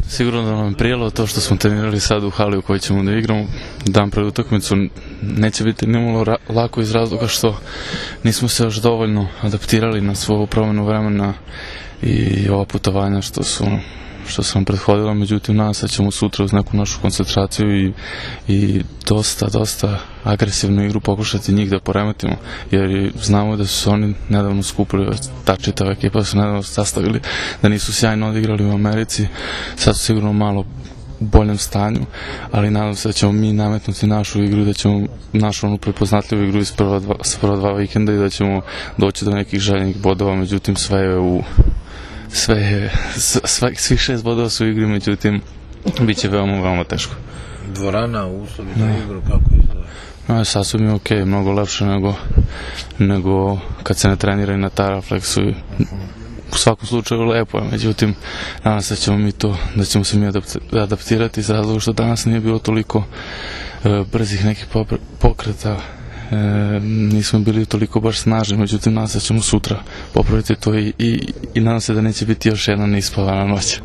Sigurno da nam je prijelo to što smo trenirali sad u hali u kojoj ćemo da igramo dan pred utakmicu. Neće biti nimalo lako iz razloga što nismo se još dovoljno adaptirali na svoju promjenu vremena i ova putovanja što su nam prethodila, međutim nadam se da ćemo sutra uz neku našu koncentraciju i dosta agresivnu igru pokušati njih da poremetimo, jer znamo da su se oni nedavno skupili, ta čitava ekipa su nedavno sastavili, da nisu sjajno odigrali u Americi, sad su sigurno malo u boljem stanju, ali nadam se da ćemo mi nametnuti našu igru, da ćemo našu onu prepoznatljivu igru iz prva dva vikenda i da ćemo doći do nekih željenih bodova, međutim svih 6 bodova su u igri, međutim bit će veoma teško. Dvorana, uslovi za igru, kako izgleda? Sasvim je okej, mnogo lepše nego kad se ne trenira i na Taraflexu. U svakom slučaju lepo je, međutim nadam se da ćemo se mi adaptirati iz razloga što danas nije bilo toliko brzih nekih pokreta, nismo bili toliko baš snažni, međutim nadam se da ćemo sutra popraviti to i nadam se da neće biti još jedna neispavana noć.